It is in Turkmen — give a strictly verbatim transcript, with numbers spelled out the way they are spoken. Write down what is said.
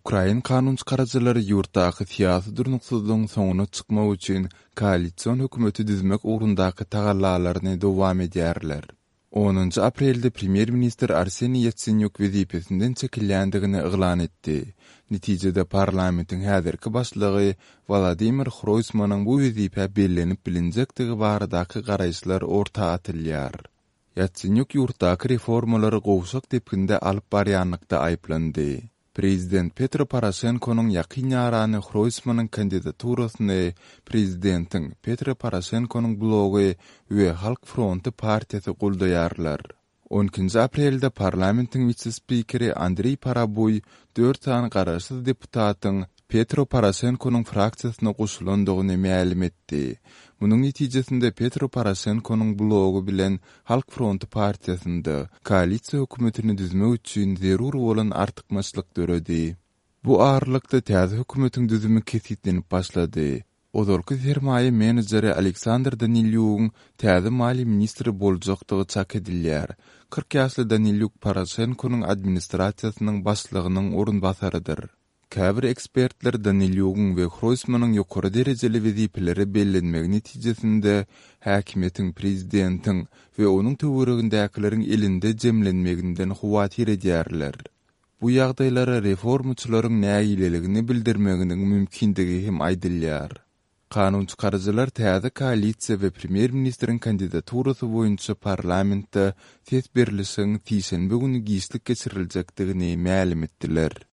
Ukrain kanunçykaryjylary ýurtdaky syýasy durnuksyzlygyň soňuna çykmak üçin koalision hökümeti düzmek ugrundaky tagallalaryny dowam edýärler. Onunjy aprelde premýer-ministr Arseniý Ýatsenýuk wezipesinden çekilýändigini yglan etdi. Netijede parlamentiň häzirki başlygy Wolodymyr Hroýsmanyň bu wezipä bellenip bilinjekdigi baradaky garaýyşlar orta atylýar. Ýatsenýuk ýurtdaky reformalary gowşak depginde alyp barýanlykda aýyplandy. Prezident Petro Poroşenkonyň ýakyn ýarany Hroýsmanyň kandidaturasyny prezidentiň Petro Poroşenkonyň blogy we Halk fronty partiýasy goldaýarlar. On ikinji aprelde parlamentiň wise-spikeri Andreý Parabuý dört sany garaşsyz deputatyň Petro Poroşenkonyň fraksiýasyna goşulandygyny mälim etdi. Munuň netijesinde Petro Poroşenkonyň blogy bilen Halk fronty partiýasynda koalisiýa hökümetini düzmek üçin zerur bolan artykmaçlyk döredi. Bu aralykda täze hökümetiň düzümi kesgitlenip başlady. Ozalky sermaýa menejeri Aleksandr Danilýugyň täze maliýe ministri boljakdygy çak edilýär. Kyrk ýaşly Danilýuk Poroşenkonyň administrasiýasynyň başlygynyň orunbasarydyr. Käbir ekspertler Danilýugyň we Hroýsmanyň ýokary derejeli wezipelere bellenmegi netijesinde häkimiýetiň prezidentiň we onuň töweregindäkileriň elinde jemlenmeginden howatyr edýärler. Bu ýagdaýlara reformaçylaryň nägileligini bildirmeginiň mümkindigi hem aýdylýar. Kanunçykaryjylar täze koalisiýa we premýer-ministriň kandidaturasy boýunça parlamentde ses berlişigiň sişenbe güni giçlik geçiriljekdigini mälim etdiler.